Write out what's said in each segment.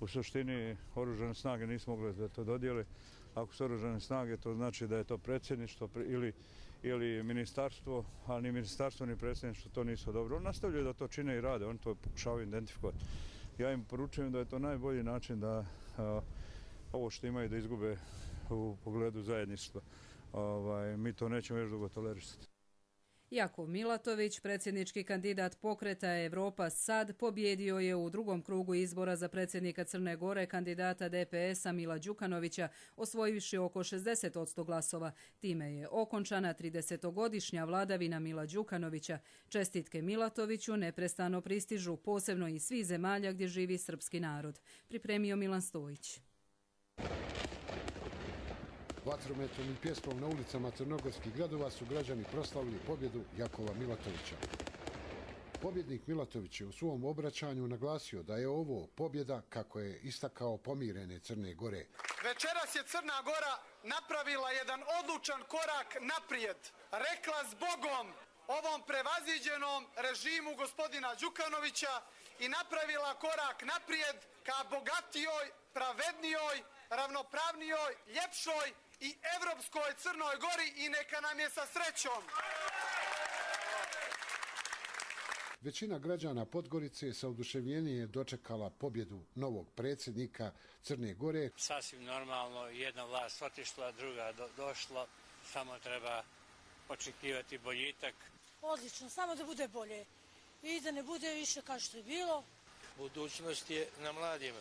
U suštini oružane snage nisu mogle da to dodijele. Ako su oružane snage, to znači da je to predsjedništvo ili ministarstvo, a ni ministarstvo ni predsjedništvo to nisu dobro. Oni nastavljaju da to čine i rade, oni to pokušavaju identifikovati. Ja im poručujem da je to najbolji način da ovo što imaju da izgube u pogledu zajedništva. Mi to nećemo još dugo tolerisati. Jakov Milatović, predsjednički kandidat pokreta Europa Sad, pobjedio je u drugom krugu izbora za predsjednika Crne Gore kandidata DPS-a Mila Đukanovića, osvojivši oko 60% glasova. Time je okončana 30-godišnja vladavina Mila Đukanovića. Čestitke Milatoviću neprestano pristižu, posebno iz svih zemalja gdje živi srpski narod. Pripremio Milan Stojić. Vatrometom i pjesmom na ulicama crnogorskih gradova su građani proslavili pobjedu Jakova Milatovića. Pobjednik Milatović je u svom obraćanju naglasio da je ovo pobjeda, kako je istakao, pomirene Crne Gore. Večeras je Crna Gora napravila jedan odlučan korak naprijed. Rekla zbogom ovom prevaziđenom režimu gospodina Đukanovića i napravila korak naprijed ka bogatijoj, pravednijoj, ravnopravnijoj, ljepšoj i evropskoj Crnoj Gori i neka nam je sa srećom. Većina građana Podgorice sa oduševljenjem je dočekala pobjedu novog predsjednika Crne Gore. Sasvim normalno, jedna vlast otišla, druga došla, samo treba očekivati boljitak. Odlično, samo da bude bolje i da ne bude više kao što je bilo. Budućnost je na mladima.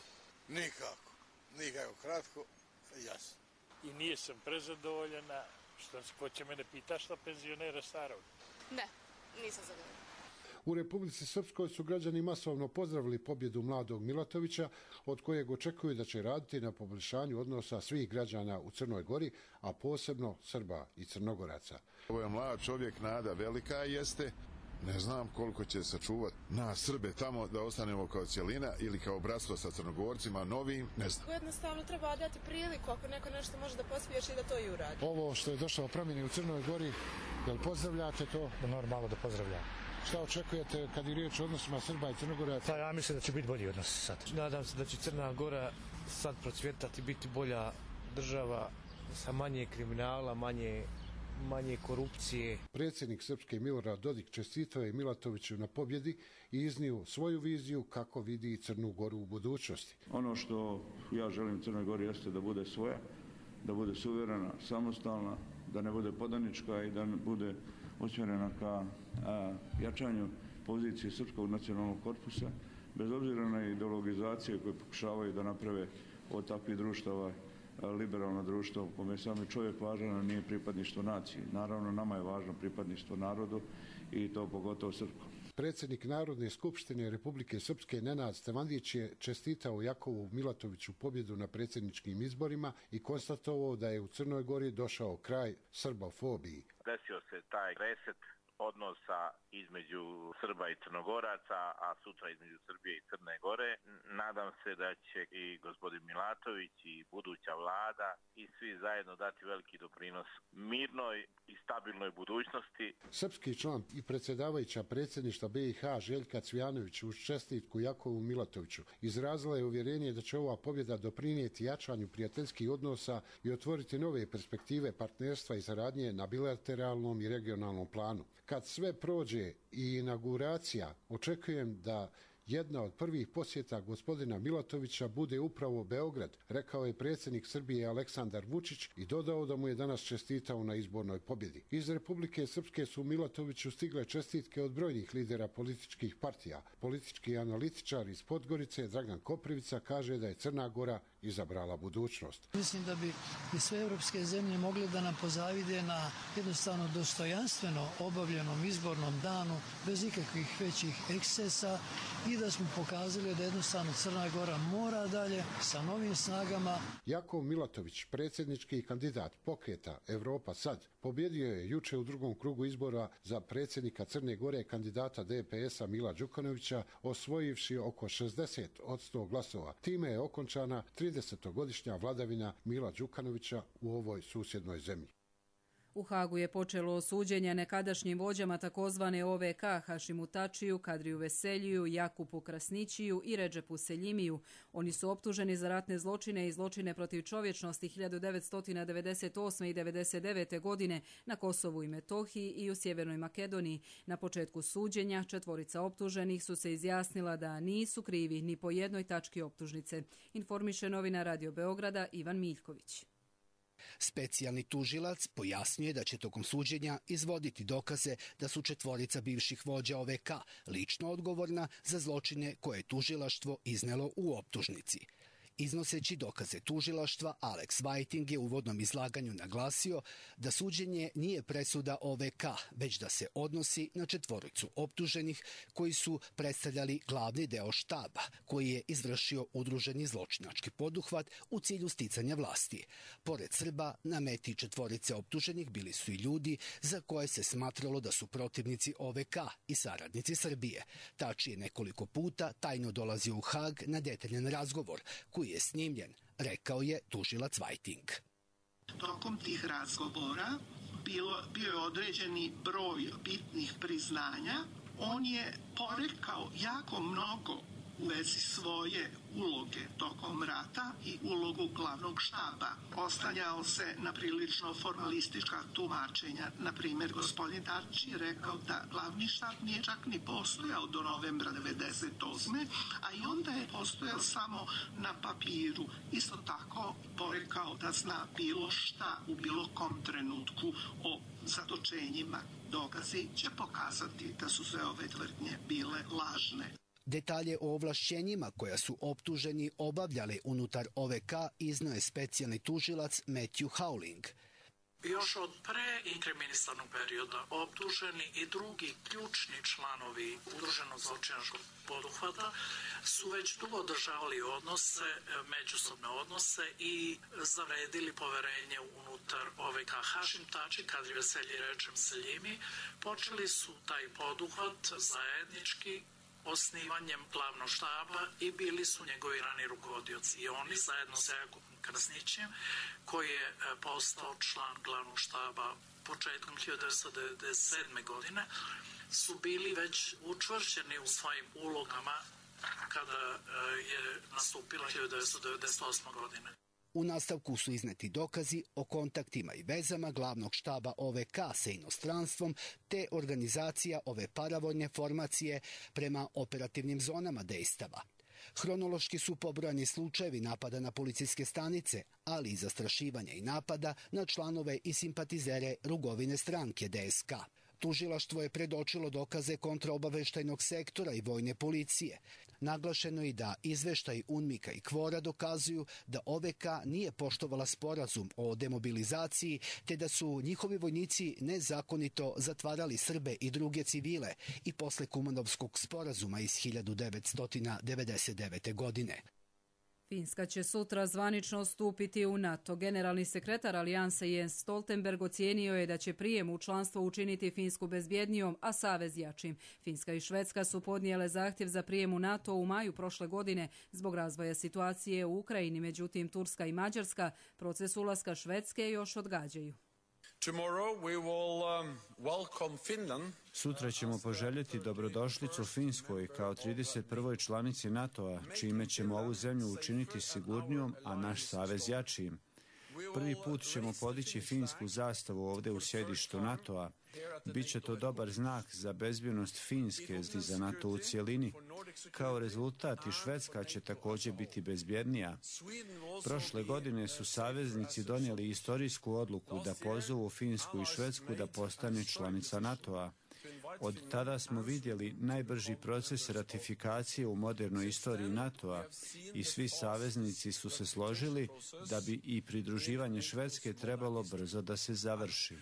Nikako, kratko, jasno. I nije sam prezadovoljena, ko će mene pita šta penzionera starog? Ne, nisam zadovoljena. U Republici Srpskoj su građani masovno pozdravili pobjedu mladog Milatovića, od kojeg očekuju da će raditi na poboljšanju odnosa svih građana u Crnoj Gori, a posebno Srba i Crnogoraca. Ovo je mlad čovjek, nada velika jeste. Ne znam koliko će sačuvati nas Srbe tamo da ostanemo kao cjelina ili kao bratstvo sa Crnogorcima novim, ne znam. Jednostavno treba dati priliku ako neko nešto može da pospješi da to i uradi. Ovo što je došlo promjeni u Crnoj Gori, jel pozdravljate to? Normalno da pozdravljam. Šta očekujete kad je riječ o odnosima Srba i Crnogoraca? Pa ja mislim da će biti bolji odnosi sad. Nadam se da će Crna Gora sad procvjetati, biti bolja država sa manje kriminala, manje korupcije. Predsjednik Srpske Milorad Dodik čestitao je Milatoviću na pobjedi i iznio svoju viziju kako vidi Crnu Goru u budućnosti. Ono što ja želim Crnoj Gori jeste da bude svoja, da bude suverena, samostalna, da ne bude podanička i da bude usmjerena ka jačanju pozicije Srpskog nacionalnog korpusa, bez obzira na ideologizacije koje pokušavaju da naprave od takvih društava liberalno društvo u kome je sami čovjek važan, a nije pripadništvo naciji. Naravno, nama je važno pripadništvo narodu i to pogotovo srpskom. Predsjednik Narodne skupštine Republike Srpske Nenad Stevandić je čestitao Jakovu Milatoviću pobjedu na predsjedničkim izborima i konstatovao da je u Crnoj Gori došao kraj srbofobiji. Desio se taj reset odnosa između Srba i Crnogoraca, a sutra između Srbije i Crne Gore. Nadam se da će i gospodin Milatović i buduća vlada i svi zajedno dati veliki doprinos mirnoj i stabilnoj budućnosti. Srpski član i predsjedavajuća predsjedništva BiH Željka Cvijanović uz čestitku Jakovu Milatoviću izrazila je uvjerenje da će ova pobjeda doprinijeti jačanju prijateljskih odnosa i otvoriti nove perspektive partnerstva i saradnje na bilateralnom i regionalnom planu. Kad sve prođe i inauguracija, očekujem da jedna od prvih posjeta gospodina Milatovića bude upravo Beograd, rekao je predsjednik Srbije Aleksandar Vučić i dodao da mu je danas čestitao na izbornoj pobjedi. Iz Republike Srpske su Milatoviću stigle čestitke od brojnih lidera političkih partija. Politički analitičar iz Podgorice Dragan Koprivica kaže da je Crna Gora izabrala budućnost. Mislim da bi i sve evropske zemlje mogle da nam pozavide na jednostavno dostojanstveno obavljenom izbornom danu bez ikakvih većih ekscesa i da smo pokazali da jednostavno Crna Gora mora dalje sa novim snagama. Jakov Milatović, predsjednički kandidat pokreta Europa Sad, pobjedio je juče u drugom krugu izbora za predsjednika Crne Gore kandidata DPS-a Mila Đukanovića, osvojivši oko 60% glasova. Time je okončana 30-godišnja vladavina Mila Đukanovića u ovoj susjednoj zemlji. U Hagu je počelo suđenje nekadašnjim vođama takozvane OVK Hašimu Tačiju, Kadriju Veseljiju, Jakupu Krasnićiju i Redžepu Seljimiju. Oni su optuženi za ratne zločine i zločine protiv čovječnosti 1998. i 1999. godine na Kosovu i Metohiji i u Sjevernoj Makedoniji. Na početku suđenja 4 optuženih su se izjasnila da nisu krivi ni po jednoj tački optužnice. Informiše novinar Radio Beograda Ivan Miljković. Specijalni tužilac pojasnjuje da će tokom suđenja izvoditi dokaze da su 4 bivših vođa OVK lično odgovorna za zločine koje je tužilaštvo iznelo u optužnici. Iznoseći dokaze tužilaštva, Alex Whiting je u uvodnom izlaganju naglasio da suđenje nije presuda OVK, već da se odnosi na 4 optuženih koji su predstavljali glavni deo štaba, koji je izvršio udruženi zločinački poduhvat u cilju sticanja vlasti. Pored Srba, na meti 4 optuženih bili su i ljudi za koje se smatralo da su protivnici OVK i saradnici Srbije. Tači je nekoliko puta tajno dolazio u Hag na detaljan razgovor, koji je snimljen, rekao je tužilac Whiting. Tokom tih razgovora bio je određeni broj bitnih priznanja. On je porekao jako mnogo u vezi svoje uloge tokom rata i ulogu glavnog štaba. Oslanjao se na prilično formalistička tumačenja. Na primjer, gospodin Tači je rekao da glavni štab nije čak ni postojao do novembra 1998. a i onda je postojao samo na papiru. Isto tako porekao da zna bilo šta u bilo kom trenutku o zatočenjima. Dokazi će pokazati da su sve ove tvrdnje bile lažne. Detalje o ovlašćenjima koja su optuženi obavljali unutar OVK iznio je specijalni tužilac Matthew Howling. Još od preinkriminisanog perioda optuženi i drugi ključni članovi udruženog zločinačkog poduhvata su već dugo održavali odnose, međusobne odnose i zavredili poverenje unutar OVK. Hašim Tači, Kadri Veselji i Redžep Seljimi počeli su taj poduhvat zajednički osnivanjem glavnog štaba i bili su njegovi rani rukovodioci. I oni zajedno sa Jakupom Krasnićem, koji je postao član glavnog štaba početkom 1997. godine, su bili već učvršćeni u svojim ulogama kada je nastupila 1998. godine. U nastavku su izneti dokazi o kontaktima i vezama glavnog štaba OVK sa inostranstvom te organizacija ove paravojne formacije prema operativnim zonama dejstava. Hronološki su pobrojani slučajevi napada na policijske stanice, ali i zastrašivanja i napada na članove i simpatizere Rugovine stranke DSK. Tužilaštvo je predočilo dokaze kontraobaveštajnog sektora i vojne policije. Naglašeno je da izveštaj UNMIK-a i KFOR-a dokazuju da OVK nije poštovala sporazum o demobilizaciji, te da su njihovi vojnici nezakonito zatvarali Srbe i druge civile i posle Kumanovskog sporazuma iz 1999. godine. Finska će sutra zvanično stupiti u NATO. Generalni sekretar alijanse Jens Stoltenberg ocijenio je da će prijem u članstvo učiniti Finsku bezbjednijom, a savez jačim. Finska i Švedska su podnijele zahtjev za prijem u NATO u maju prošle godine zbog razvoja situacije u Ukrajini. Međutim, Turska i Mađarska proces ulaska Švedske još odgađaju. Sutra ćemo poželjeti dobrodošlicu Finskoj kao 31. članici NATO-a, čime ćemo ovu zemlju učiniti sigurnijom, a naš savez jačijim. Prvi put ćemo podići finsku zastavu ovdje u sjedištu NATO-a. Biće to dobar znak za bezbjednost Finske i za NATO u cjelini. Kao rezultat i Švedska će također biti bezbjednija. Prošle godine su saveznici donijeli istorijsku odluku da pozovu Finsku i Švedsku da postane članica NATO-a. Od tada smo vidjeli najbrži proces ratifikacije u modernoj istoriji NATO-a i svi saveznici su se složili da bi i pridruživanje Švedske trebalo brzo da se završi.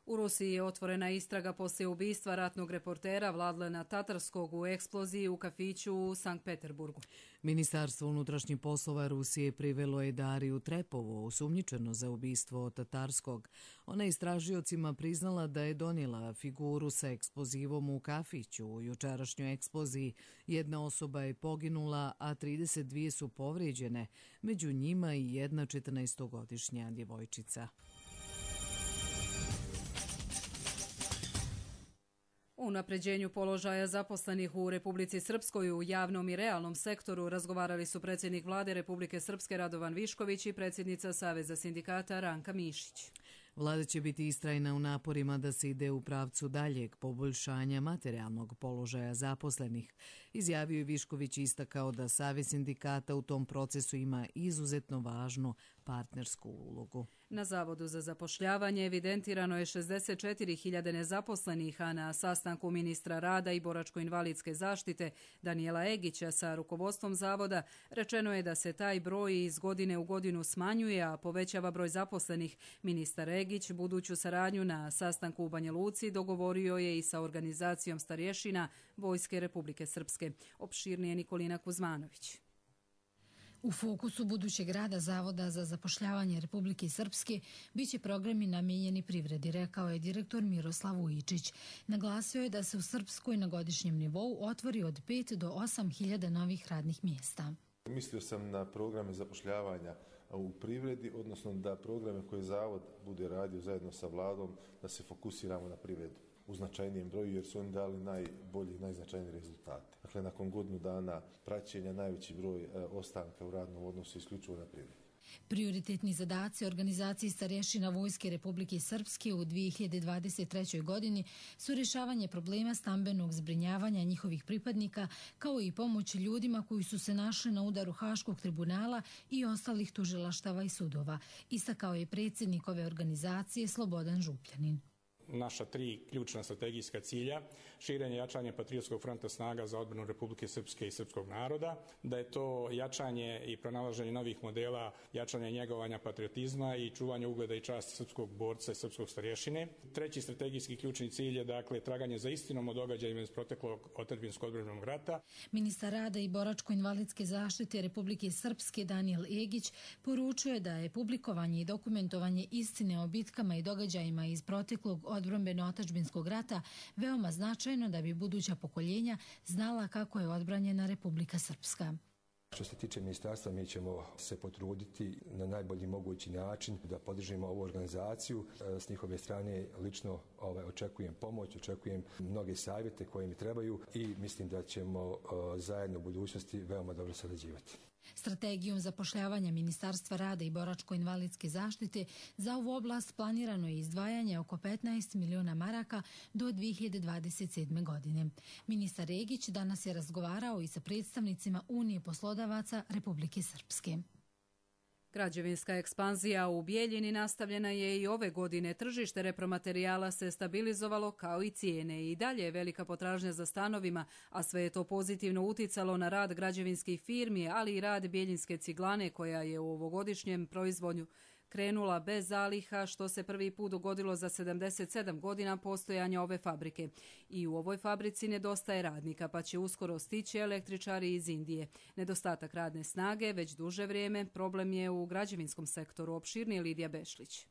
U Rusiji je otvorena istraga poslije ubistva ratnog reportera Vladlena Tatarskog u eksploziji u kafiću u Sankt Peterburgu. Ministarstvo unutrašnjih poslova Rusije privelo je Dariju Trepovu, osumnjičeno za ubistvo Tatarskog. Ona je istražiocima priznala da je donijela figuru sa eksplozivom u kafiću. U jučerašnjoj eksploziji jedna osoba je poginula, a 32 su povrijeđene, među njima i jedna 14-godišnja djevojčica. U unapređenju položaja zaposlenih u Republici Srpskoj u javnom i realnom sektoru razgovarali su predsjednik vlade Republike Srpske Radovan Višković i predsjednica Saveza sindikata Ranka Mišić. Vlada će biti istrajna u naporima da se ide u pravcu daljeg poboljšanja materijalnog položaja zaposlenih. Izjavio je Višković i istakao da Savez sindikata u tom procesu ima izuzetno važnu partnersku ulogu. Na Zavodu za zapošljavanje evidentirano je 64.000 nezaposlenih, a na sastanku ministra rada i boračko-invalidske zaštite Danijela Egića sa rukovodstvom zavoda rečeno je da se taj broj iz godine u godinu smanjuje, a povećava broj zaposlenih. Ministar Egić buduću saradnju na sastanku u Banja Luci dogovorio je i sa organizacijom starješina Vojske Republike Srpske. Opširnije Nikolina Kuzmanović. U fokusu budućeg rada Zavoda za zapošljavanje Republike Srpske biće programi namijenjeni privredi, rekao je direktor Miroslav Vujičić. Naglasio je da se u Srpskoj na godišnjem nivou otvori od 5 do 8.000 novih radnih mjesta. Mislio sam na programe zapošljavanja u privredi, odnosno da programe koje Zavod bude radio zajedno sa vladom, da se fokusiramo na privredu u značajnijem broju, jer su oni dali najbolji i najznačajniji rezultate. Dakle, nakon godinu dana praćenja najveći broj ostanka u radnom odnosu isključivo na privredi. Prioritetni zadaci organizacije starješina Vojske Republike Srpske u 2023. godini su rješavanje problema stambenog zbrinjavanja njihovih pripadnika, kao i pomoć ljudima koji su se našli na udaru Haškog tribunala i ostalih tužilaštava i sudova, istakao je predsjednik ove organizacije Slobodan Župljanin. Naša 3 ključna strategijska cilja, širenje i jačanje patriotskog fronta snaga za odbranu Republike Srpske i srpskog naroda, da je to jačanje i pronalaženje novih modela, jačanje i njegovanja patriotizma i čuvanje ugleda i časti srpskog borca i srpskog starješine. 3. strategijski ključni cilj je dakle traganje za istinom o događajima iz proteklog otadžbinskog odbrambenog rata. Ministar rada i boračko-invalidske zaštite Republike Srpske Danijel Egić poručuje da je publikovanje i dokumentovanje istine o bitkama i događajima iz proteklog odbrambeno-otadžbinskog rata veoma značajno da bi buduća pokoljenja znala kako je odbranjena Republika Srpska. Što se tiče ministarstva, mi ćemo se potruditi na najbolji mogući način da podržimo ovu organizaciju. S njihove strane lično očekujem pomoć, očekujem mnoge savjete koje mi trebaju i mislim da ćemo zajedno u budućnosti veoma dobro sarađivati. Strategijom zapošljavanja Ministarstva rada i boračko-invalidske zaštite za ovu oblast planirano je izdvajanje oko 15 miliona maraka do 2027. godine. Ministar Egić danas je razgovarao i sa predstavnicima Unije poslodavaca Republike Srpske. Građevinska ekspanzija u Bijeljini nastavljena je i ove godine. Tržište repromaterijala se stabilizovalo kao i cijene. I dalje je velika potražnja za stanovima, a sve je to pozitivno uticalo na rad građevinskih firmi, ali i rad Bijeljinske ciglane koja je u ovogodišnjem proizvodnju krenula bez zaliha, što se prvi put dogodilo za 77 godina postojanja ove fabrike. I u ovoj fabrici nedostaje radnika, pa će uskoro stići električari iz Indije. Nedostatak radne snage već duže vrijeme problem je u građevinskom sektoru. Opširnije Lidija Bešlić.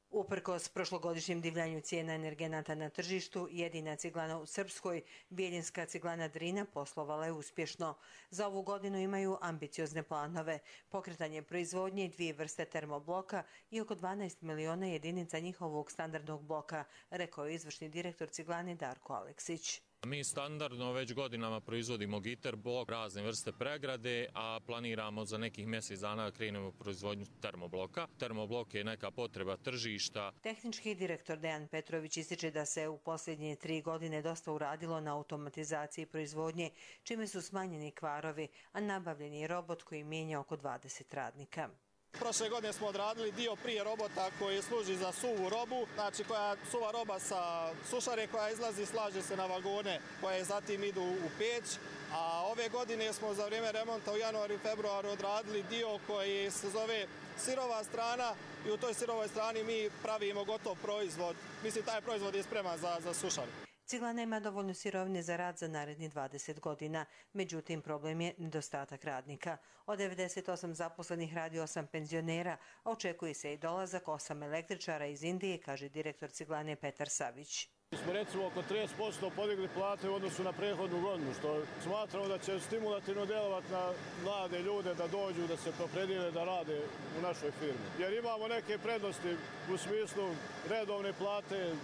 Uprkos prošlogodišnjem divljanju cijena energenata na tržištu, jedina ciglana u Srpskoj, Bijeljinska ciglana Drina, poslovala je uspješno. Za ovu godinu imaju ambiciozne planove, pokretanje proizvodnje 2 vrste termobloka i oko 12 miliona jedinica njihovog standardnog bloka, rekao je izvršni direktor ciglane Darko Aleksić. Mi standardno već godinama proizvodimo giter blok, razne vrste pregrade, a planiramo za nekih mjesec dana da krenemo u proizvodnju termobloka. Termoblok je neka potreba tržišta. Tehnički direktor Dejan Petrović ističe da se u posljednje 3 godine dosta uradilo na automatizaciji proizvodnje, čime su smanjeni kvarovi, a nabavljen je robot koji mijenja oko 20 radnika. Prošle godine smo odradili dio prije robota koji služi za suvu robu, znači koja suva roba sa sušare koja izlazi, slaže se na vagone koje zatim idu u peć. A ove godine smo za vrijeme remonta u januaru i februaru odradili dio koji se zove sirova strana i u toj sirovoj strani mi pravimo gotov proizvod. Mislim, taj proizvod je spreman za sušare. Ciglana ima dovoljno sirovine za rad za narednih 20 godina, međutim problem je nedostatak radnika. Od 98 zaposlenih radi 8 penzionera, a očekuje se i dolazak 8 električara iz Indije, kaže direktor Ciglane Petar Savić. Mi smo recimo oko 30% podigli plate u odnosu na prethodnu godinu, što smatramo da će stimulativno djelovati na mlade ljude da dođu, da se opredijele da rade u našoj firmi. Jer imamo neke prednosti u smislu redovne plate,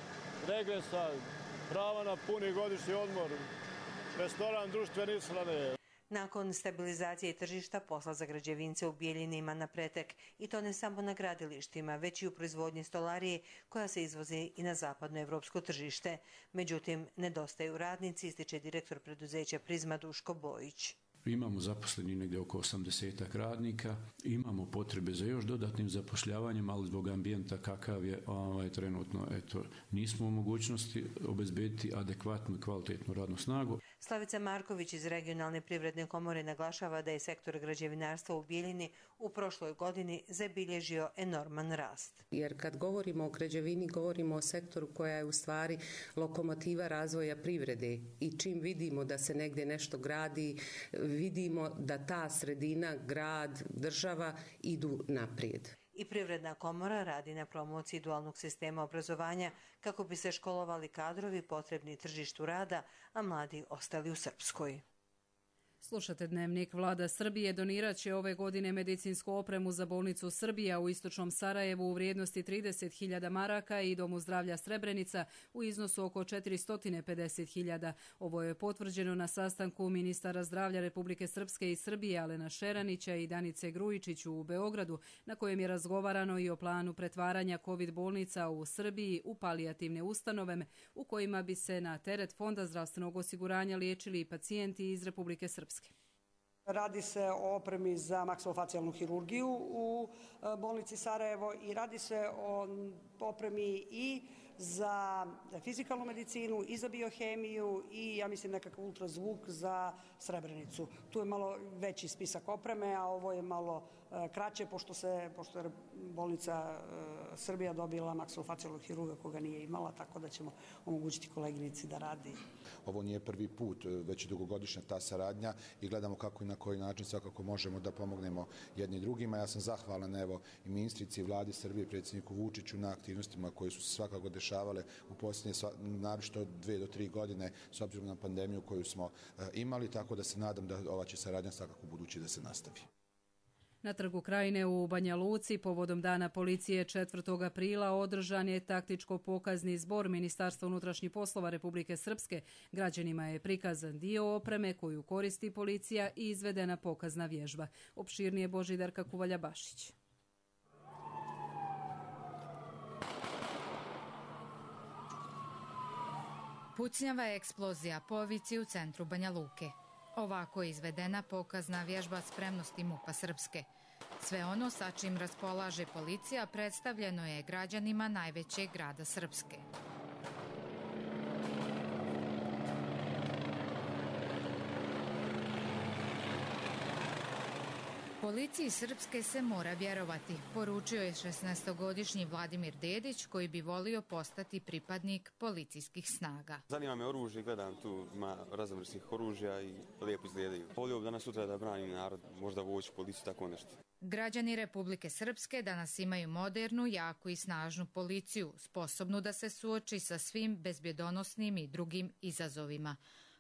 regresa, prava na puni godišnji odmor, restoran, društvene ishrane. Nakon stabilizacije tržišta, posla za građevince u Bijeljini ima napretek i to ne samo na gradilištima, već i u proizvodnji stolarije koja se izvozi i na zapadno evropsko tržište. Međutim, nedostaju radnici, ističe direktor preduzeća Prizma Duško Bojić. Imamo zaposleni negdje oko 80 radnika, imamo potrebe za još dodatnim zapošljavanjem, ali zbog ambijenta kakav je trenutno, nismo u mogućnosti obezbediti adekvatnu i kvalitetnu radnu snagu. Slavica Marković iz Regionalne privredne komore naglašava da je sektor građevinarstva u Bijeljini u prošloj godini zabilježio enorman rast. Jer kad govorimo o građevini, govorimo o sektoru koja je u stvari lokomotiva razvoja privrede i čim vidimo da se negdje nešto gradi, vidimo da ta sredina, grad, država idu naprijed. I Privredna komora radi na promociji dualnog sistema obrazovanja kako bi se školovali kadrovi potrebni tržištu rada, a mladi ostali u Srpskoj. Slušate Dnevnik. Vlada Srbije donirat će ove godine medicinsku opremu za bolnicu Srbija u istočnom Sarajevu u vrijednosti 30.000 maraka i Domu zdravlja Srebrenica u iznosu oko 450.000. Ovo je potvrđeno na sastanku ministara zdravlja Republike Srpske i Srbije Alena Šeranića i Danice Grujičić u Beogradu, na kojem je razgovarano i o planu pretvaranja COVID bolnica u Srbiji u palijativne ustanove u kojima bi se na teret Fonda zdravstvenog osiguranja liječili i pacijenti iz Republike Srpske. Radi se o opremi za maksilofacijalnu hirurgiju u bolnici Sarajevo i radi se o opremi i za fizikalnu medicinu i za biohemiju i ja mislim nekakav ultrazvuk za Srebrenicu. Tu je malo veći spisak opreme, a ovo je malo kraće pošto je bolnica Srbija dobila maksilofacijalnog hirurga koga nije imala, tako da ćemo omogućiti koleginici da radi. Ovo nije prvi put, već dugogodišnja ta saradnja i gledamo kako i na koji način svakako možemo da pomognemo jedni drugima. Ja sam zahvalan i ministrici i vladi Srbije, predsjedniku Vučiću na aktivnostima koje su se svakako dešavale u posljednje naročito 2 do 3 godine s obzirom na pandemiju koju smo imali, tako da se nadam da ova će saradnja svakako budući da se nastavi. Na Trgu Krajine u Banja Luci povodom Dana policije 4. aprila održan je taktičko-pokazni zbor Ministarstva unutrašnjih poslova Republike Srpske. Građanima je prikazan dio opreme koju koristi policija i izvedena pokazna vježba. Opširnije Božidarka Kuvalja-Bašić. Pucnjava eksplozija po Vici u centru Banja Luke. Ovako je izvedena pokazna vježba spremnosti MUP-a Srpske. Sve ono sa čim raspolaže policija predstavljeno je građanima najvećeg grada Srpske. Policiji Srpske se mora vjerovati, poručio je 16-godišnji Vladimir Dedić koji bi volio postati pripadnik policijskih snaga. Zanima me oružje, gledam tu, ima raznovrsnih oružja i lijepo izgledaju. Volio bi danas sutra da branim narod, možda vojsku, policiju, tako nešto. Građani Republike Srpske danas imaju modernu, jaku i snažnu policiju, sposobnu da se suoči sa svim bezbjedonosnim i drugim izazovima,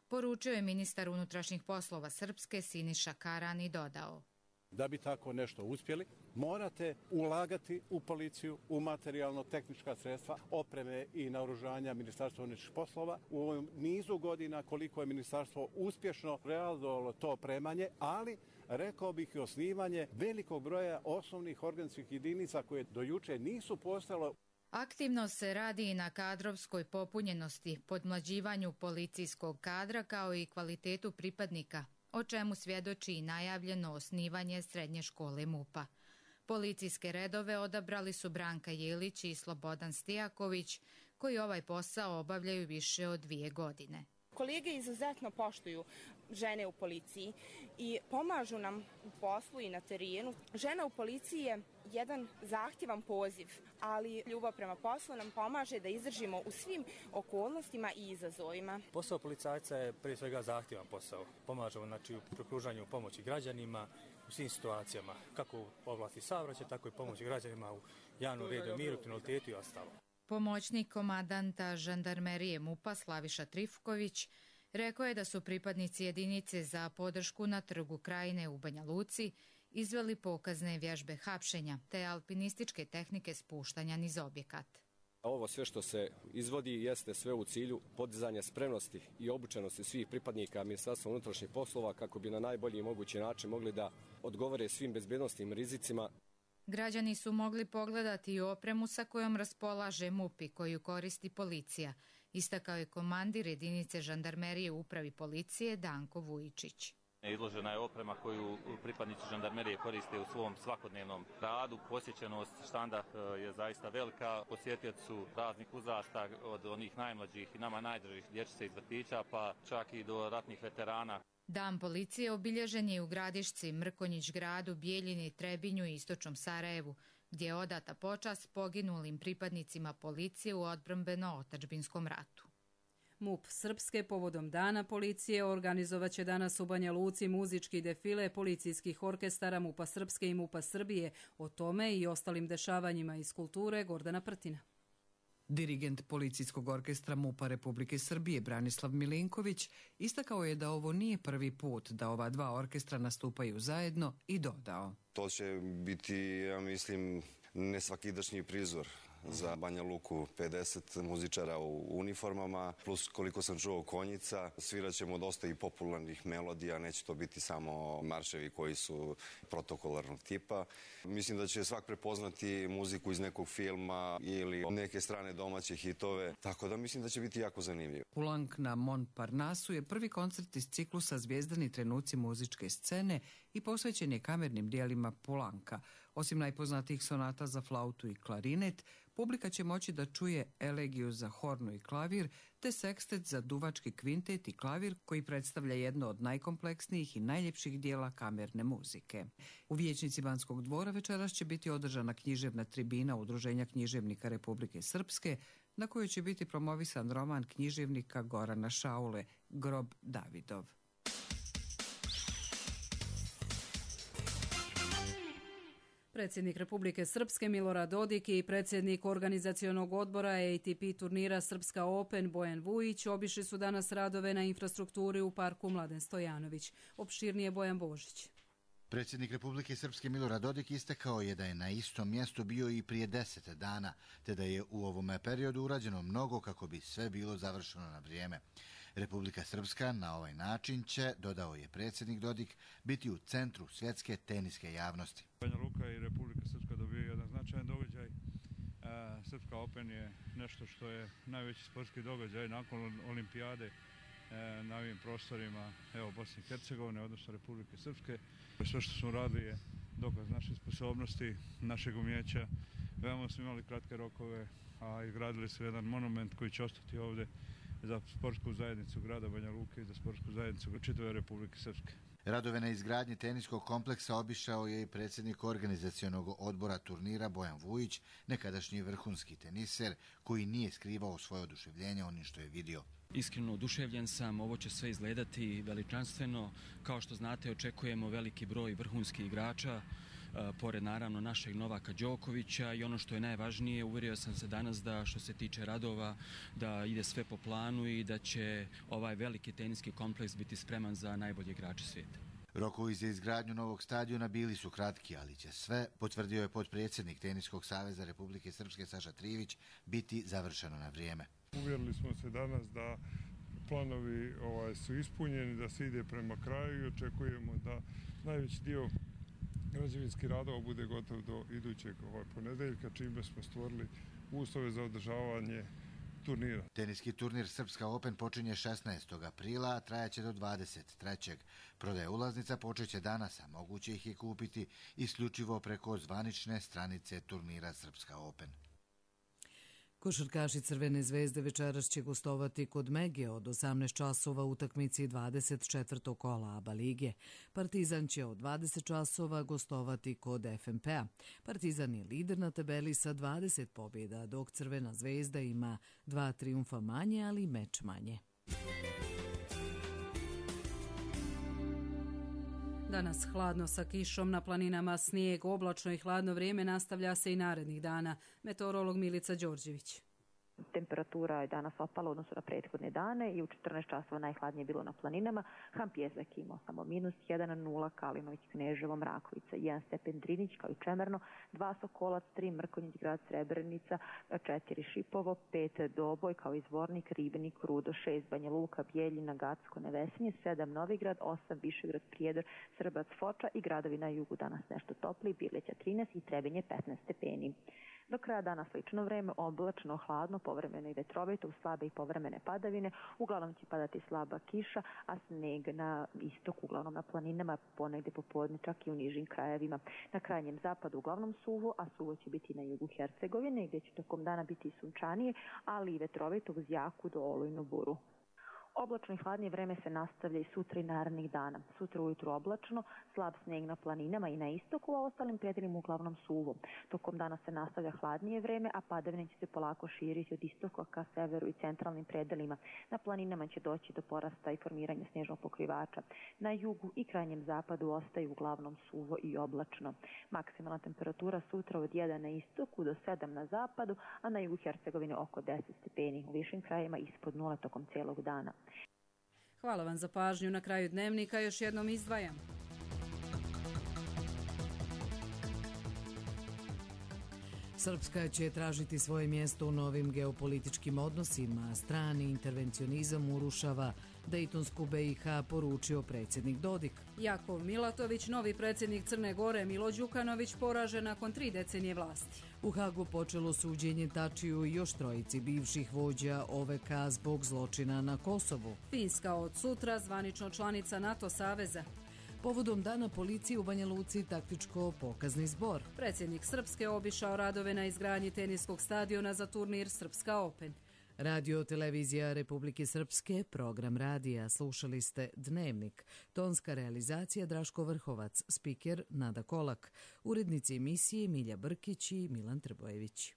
poručio je ministar unutrašnjih poslova Srpske Siniša Karan i dodao. Da bi tako nešto uspjeli, morate ulagati u policiju, u materijalno-tehnička sredstva, opreme i naoružanja Ministarstva unutrašnjih poslova. U ovom nizu godina koliko je ministarstvo uspješno realizovalo to opremanje, ali rekao bih i osnivanje velikog broja osnovnih organskih jedinica koje do juče nisu postojale. Aktivno se radi i na kadrovskoj popunjenosti, podmlađivanju policijskog kadra kao i kvalitetu pripadnika, o čemu svjedoči i najavljeno osnivanje srednje škole MUP-a. Policijske redove odabrali su Branka Jelić i Slobodan Stijaković, koji ovaj posao obavljaju više od 2 godine. Kolege izuzetno poštuju žene u policiji i pomažu nam u poslu i na terenu. Žena u policiji je jedan zahtjevan poziv, ali ljubav prema poslu nam pomaže da izdržimo u svim okolnostima i izazovima. Posao policajca je prije svega zahtjevan posao. Pomažemo u pružanju pomoći građanima u svim situacijama, kako u oblasti saobraćaja, tako i pomoći građanima u javnom redu, miru, kriminalitetu i ostalo. Pomoćnik komandanta žandarmerije MUP-a Slaviša Trifković rekao je da su pripadnici jedinice za podršku na Trgu Krajine u Banja Luci izveli pokazne vježbe hapšenja te alpinističke tehnike spuštanja niz objekat. Ovo sve što se izvodi jeste sve u cilju podizanja spremnosti i obučenosti svih pripadnika Ministarstva unutrašnjih poslova kako bi na najbolji mogući način mogli da odgovore svim bezbednosnim rizicima. Građani su mogli pogledati i opremu sa kojom raspolaže MUP i koju koristi policija, istakao je komandir jedinice žandarmerije u upravi policije Danko Vujičić. Izložena je oprema koju pripadnici žandarmerije koriste u svom svakodnevnom radu. Posjećenost štanda je zaista velika. Posjetioci su raznih uzrasta, od onih najmlađih i nama najdražih dječice iz vrtića, pa čak i do ratnih veterana. Dan policije obilježen je u Gradišci, Mrkonjić gradu, Bijeljini, Trebinju i istočnom Sarajevu, gdje je odata počast poginulim pripadnicima policije u odbrambeno-otadžbinskom ratu. MUP Srpske povodom Dana policije organizovaće danas u Banja Luci muzički defile policijskih orkestara MUP-a Srpske i MUP-a Srbije. O tome i ostalim dešavanjima iz kulture Gordana Prtina. Dirigent policijskog orkestra MUP-a Republike Srbije Branislav Milinković istakao je da ovo nije prvi put da ova dva orkestra nastupaju zajedno i dodao. To će biti, ja mislim, nesvakidašnji prizor za Banja Luku, 50 muzičara u uniformama, plus koliko sam čuo konjica. Svirat ćemo dosta i popularnih melodija, neće to biti samo marševi koji su protokolarnog tipa. Mislim da će svak prepoznati muziku iz nekog filma ili neke strane domaće hitove, tako da mislim da će biti jako zanimljivo. Pulank na Montparnasu je prvi koncert iz ciklusa Zvijezdani trenuci muzičke scene i posvećen je kamernim dijelima Pulanka. Osim najpoznatijih sonata za flautu i klarinet, publika će moći da čuje elegiju za hornu i klavir, te sekstet za duvački kvintet i klavir koji predstavlja jedno od najkompleksnijih i najljepših dijela kamerne muzike. U vijećnici Banskog dvora večeras će biti održana književna tribina Udruženja književnika Republike Srpske, na kojoj će biti promovisan roman književnika Gorana Šaule, Grob Davidov. Predsjednik Republike Srpske Milorad Dodik i predsjednik organizacionog odbora ATP turnira Srpska Open Bojan Vujić obišli su danas radove na infrastrukturi u parku Mladen Stojanović. Opširnije Bojan Božić. Predsjednik Republike Srpske Milorad Dodik istakao je da je na istom mjestu bio i prije 10 dana, te da je u ovome periodu urađeno mnogo kako bi sve bilo završeno na vrijeme. Republika Srpska na ovaj način će, dodao je predsjednik Dodik, biti u centru svjetske teniske javnosti. Banja Luka i Republika Srpska dobiju jedan značajan događaj. Srpska Open je nešto što je najveći sportski događaj nakon olimpijade na ovim prostorima Bosne i Hercegovine, odnosno Republike Srpske. Sve što smo radili je dokaz naše sposobnosti, našeg umjeća. Veoma smo imali kratke rokove, a izgradili su jedan monument koji će ostati ovdje za sportsku zajednicu grada Banja Luke i za sportsku zajednicu čitave Republike Srpske. Radove na izgradnji teniskog kompleksa obišao je i predsjednik organizacionog odbora turnira Bojan Vujić, nekadašnji vrhunski teniser, koji nije skrivao svoje oduševljenje onim što je vidio. Iskreno oduševljen sam, ovo će sve izgledati veličanstveno. Kao što znate, očekujemo veliki broj vrhunskih igrača, pored naravno našeg Novaka Đokovića, i ono što je najvažnije, uvjerio sam se danas da što se tiče radova, da ide sve po planu i da će ovaj veliki teniski kompleks biti spreman za najbolje igrače svijeta. Rokovi za izgradnju novog stadiona bili su kratki, ali će sve, potvrdio je potpredsjednik Teniskog saveza Republike Srpske Saša Trivić, biti završeno na vrijeme. Uvjerili smo se danas da planovi su ispunjeni, da se ide prema kraju i očekujemo da najveći dio građevinskih radova bude gotov do idućeg ponedeljka, čime smo stvorili uslove za održavanje turnira. Teniski turnir Srpska Open počinje 16. aprila, a trajaće do 23. Prodaja ulaznica počeće danas, a moguće ih je kupiti isključivo preko zvanične stranice turnira Srpska Open. Košarkaši Crvene zvezde večeras će gostovati kod Mege od 18 časova utakmici 24. kola ABA lige. Partizan će od 20 časova gostovati kod FNP-a. Partizan je lider na tabeli sa 20 pobjeda, dok Crvena zvezda ima 2 trijumfa manje, ali meč manje. Danas hladno sa kišom, na planinama snijeg, oblačno i hladno vrijeme nastavlja se i narednih dana. Meteorolog Milica Đorđević. Temperatura je danas opala u odnosu na prethodne dane i u 14 časova najhladnije bilo na planinama. Hampjezak imao samo -1, Kalinović, Kneževo, Mrakovica, 1 stepen Drinić kao i Čemerno, 2 Sokolac, 3 Mrkonjić, grad Srebrenica, 4 Šipovo, 5 Doboj kao i Zvornik, Ribnik, Rudo, 6 Banja Luka, Bijeljina, Gacko, Nevesinje, 7 Novigrad, 8 Višegrad, Prijedor, Srbac, Foča i gradovi na jugu danas nešto topli, Birleća 13 i Trebinje 15 stepeni. Do kraja dana slično vreme, oblačno, hladno, povremeno i vetrovito, uz slabe i povremene padavine. Uglavnom će padati slaba kiša, a sneg na istoku, uglavnom na planinama, ponegde popodne čak i u nižim krajevima. Na krajnjem zapadu uglavnom suvo, a suvo će biti na jugu Hercegovine, gdje će tokom dana biti sunčanije, ali i vetrovito uz jaku do olujnu buru. Oblačno i hladnije vreme se nastavlja i sutra i narednih dana. Sutra ujutru oblačno, slab sneg na planinama i na istoku, a ostalim predelima uglavnom suvo. Tokom dana se nastavlja hladnije vreme, a padavine će se polako širiti od istoka ka severu i centralnim predelima. Na planinama će doći do porasta i formiranja snežnog pokrivača. Na jugu i krajnjem zapadu ostaju uglavnom suvo i oblačno. Maksimalna temperatura sutra od 1 na istoku do 7 na zapadu, a na jugu Hercegovine oko 10 stepeni. U višim krajevima ispod 0 tokom cijelog dana. Hvala vam za pažnju. Na kraju dnevnika još jednom izdvajam. Srpska će tražiti svoje mjesto u novim geopolitičkim odnosima. Strani intervencionizam urušava Dejtonsku BiH, poručio predsjednik Dodik. Jakov Milatović, novi predsjednik Crne Gore, Milo Đukanović, poražen nakon 3 decenije vlasti. U Hagu počelo suđenje Tačiju i još 3 bivših vođa OVK zbog zločina na Kosovu. Finska od sutra zvanično članica NATO saveza. Povodom dana policije u Banja Luci taktičko-pokazni zbor. Predsjednik Srpske obišao radove na izgradnji teniskog stadiona za turnir Srpska Open. Radio televizija Republike Srpske, program radija. Slušali ste Dnevnik. Tonska realizacija Draško Vrhovac, spiker Nada Kolak. Urednici emisije Milja Brkić i Milan Trbojević.